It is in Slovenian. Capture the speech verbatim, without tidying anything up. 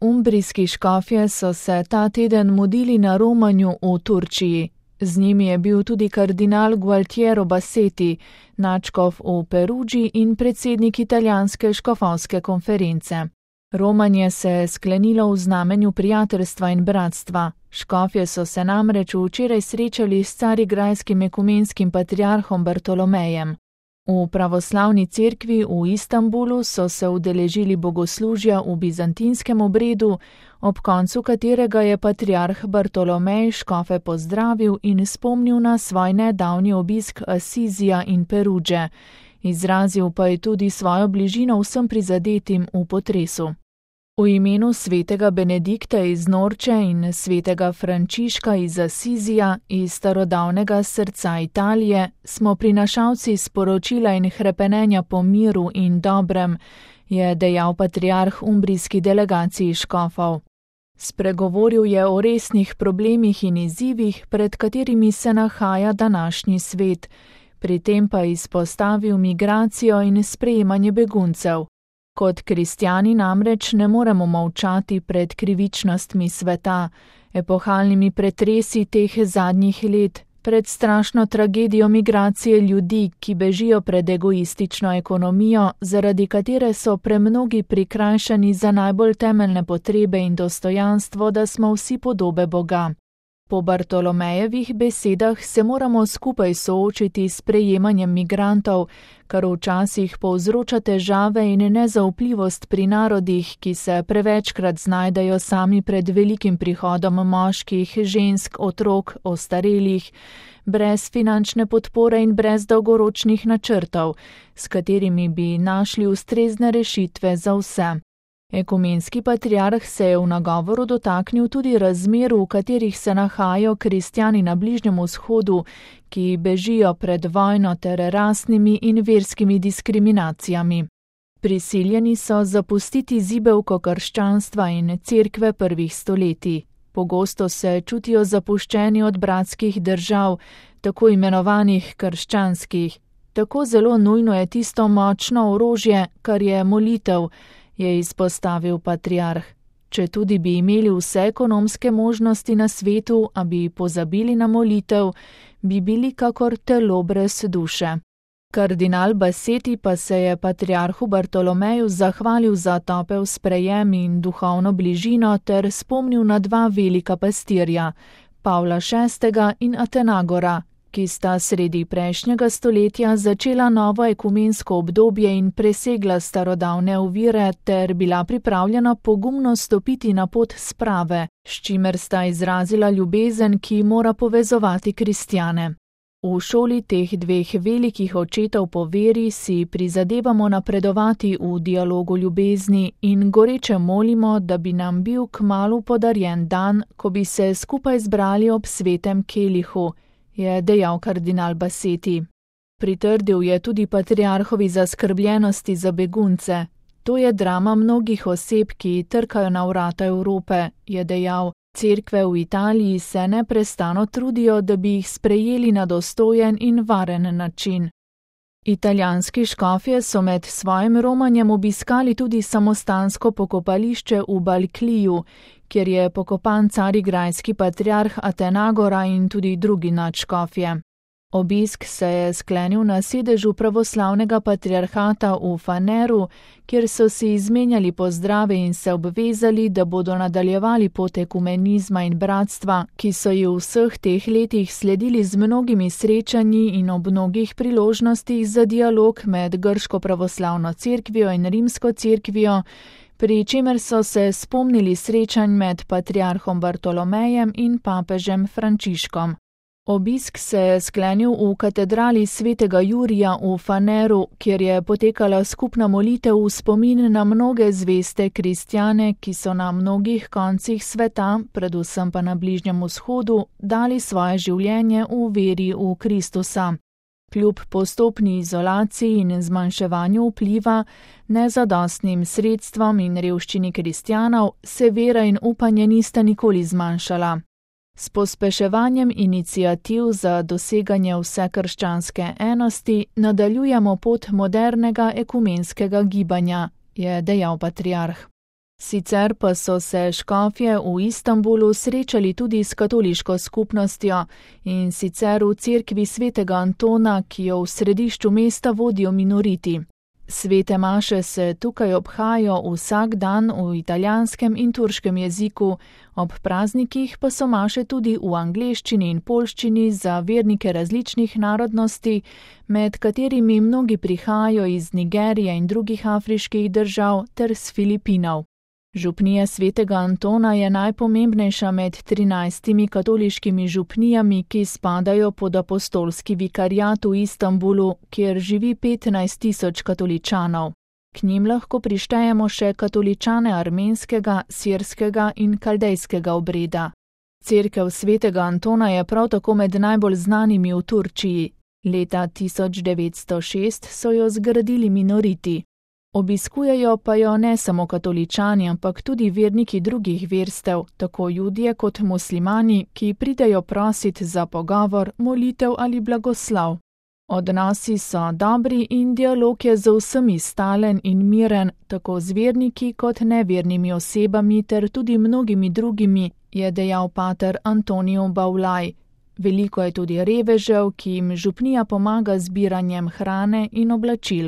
Umbrijski škofje so se ta teden mudili na romanju v Turčiji. Z njimi je bil tudi kardinal Gualtiero Bassetti, nadškof v Perugii in predsednik italijanske škofovske konference. Romanje se je sklenilo v znamenju prijateljstva in bratstva. Škofje so se namreč včeraj srečali s carigrajskim ekumenskim patriarhom Bartolomejem. V pravoslavni cerkvi v Istanbulu so se udeležili bogoslužja v bizantinskem obredu, ob koncu katerega je patriarh Bartolomej škofe pozdravil in spomnil na svoj nedavni obisk Asizija in Peruge. Izrazil pa je tudi svojo bližino vsem prizadetim v potresu. V imenu svetega Benedikta iz Norče in svetega Frančiška iz Asizija iz starodavnega srca Italije smo prinašalci sporočila in hrepenenja po miru in dobrem, je dejal patriarh umbrijski delegaciji škofov. Spregovoril je o resnih problemih in izzivih, pred katerimi se nahaja današnji svet, pri tem pa izpostavil migracijo in sprejemanje beguncev. Kot kristjani namreč ne moremo molčati pred krivičnostmi sveta, epohalnimi pretresi teh zadnjih let, pred strašno tragedijo migracije ljudi, ki bežijo pred egoistično ekonomijo, zaradi katere so premnogi prikrajšani za najbolj temeljne potrebe in dostojanstvo, da smo vsi podobe Boga. Po Bartolomejevih besedah se moramo skupaj soočiti s prejemanjem migrantov, kar včasih povzroča težave in nezaupljivost pri narodih, ki se prevečkrat znajdejo sami pred velikim prihodom moških, žensk, otrok, ostarelih, brez finančne podpore in brez dolgoročnih načrtov, s katerimi bi našli ustrezne rešitve za vse. Ekumenski patriarh se je v nagovoru dotaknil tudi razmer, v katerih se nahajajo kristjani na Bližnjem vzhodu, ki bežijo pred vojno ter rasnimi in verskimi diskriminacijami. Prisiljeni so zapustiti zibelko krščanstva in cerkve prvih stoletij. Pogosto se čutijo zapuščeni od bratskih držav, tako imenovanih krščanskih. Tako zelo nujno je tisto močno orožje, kar je molitev, je izpostavil patriarh. Če tudi bi imeli vse ekonomske možnosti na svetu, a bi pozabili na molitev, bi bili kakor telo brez duše. Kardinal Bassetti pa se je patriarhu Bartolomeju zahvalil za topel sprejem in duhovno bližino ter spomnil na dva velika pastirja, Pavla šestega in Atenagora, ki sta sredi prejšnjega stoletja začela novo ekumensko obdobje in presegla starodavne ovire ter bila pripravljena pogumno stopiti na pot sprave, s čimer sta izrazila ljubezen, ki mora povezovati kristjane. V šoli teh dveh velikih očetov po veri si prizadevamo napredovati v dialogu ljubezni in goreče molimo, da bi nam bil kmalu podarjen dan, ko bi se skupaj zbrali ob svetem kelihu, je dejal kardinal Bassetti. Pritrdil je tudi patriarhovi zaskrbljenosti za begunce. To je drama mnogih oseb, ki trkajo na vrata Evrope, je dejal. Cerkve v Italiji se neprestano trudijo, da bi jih sprejeli na dostojen in varen način. Italijanski škofje so med svojim romanjem obiskali tudi samostansko pokopališče v Balkliju, kjer je pokopan carigrajski patriarh Atenagora in tudi drugi nadškofje. Obisk se je sklenil na sedežu pravoslavnega patriarhata v Faneru, kjer so si izmenjali pozdrave in se obvezali, da bodo nadaljevali pot ekumenizma in bratstva, ki so ji v vseh teh letih sledili z mnogimi srečanji in ob mnogih priložnostih za dialog med grško pravoslavno cerkvijo in rimsko cerkvijo, pri čemer so se spomnili srečanj med patriarhom Bartolomejem in papežem Frančiškom. Obisk se je sklenil v katedrali svetega Jurija v Faneru, kjer je potekala skupna molitev v spomin na mnoge zveste kristjane, ki so na mnogih koncih sveta, predvsem pa na Bližnjem vzhodu, dali svoje življenje v veri v Kristusa. Kljub postopni izolaciji in zmanjševanju vpliva, nezadostnim sredstvom in revščini kristjanov, se vera in upanje nista nikoli zmanjšala. S pospeševanjem iniciativ za doseganje vsekrščanske enosti nadaljujemo pot modernega ekumenskega gibanja, je dejal patriarh. Sicer pa so se škofje v Istanbulu srečali tudi s katoliško skupnostjo, in sicer v cerkvi svetega Antona, ki jo v središču mesta vodijo minoriti. Svete maše se tukaj obhajajo vsak dan v italijanskem in turškem jeziku, ob praznikih pa so maše tudi v angleščini in poljščini za vernike različnih narodnosti, med katerimi mnogi prihajajo iz Nigerije in drugih afriških držav ter s Filipinov. Župnija svetega Antona je najpomembnejša med trinajstimi katoliškimi župnijami, ki spadajo pod apostolski vikariat v Istanbulu, kjer živi petnajst tisoč katoličanov. K njim lahko prištejemo še katoličane armenskega, sirskega in kaldejskega obreda. Cerkev svetega Antona je prav tako med najbolj znanimi v Turčiji. Leta tisoč devetsto šest so jo zgradili minoriti. Obiskujejo pa jo ne samo katoličani, ampak tudi verniki drugih verstev, tako Judje kot muslimani, ki pridejo prosit za pogovor, molitev ali blagoslov. Odnosi so dobri in dialog je z vsemi stalen in miren, tako z verniki kot nevernimi osebami ter tudi mnogimi drugimi, je dejal pater Antonio Baulaj. Veliko je tudi revežev, ki jim župnija pomaga z zbiranjem hrane in oblačil.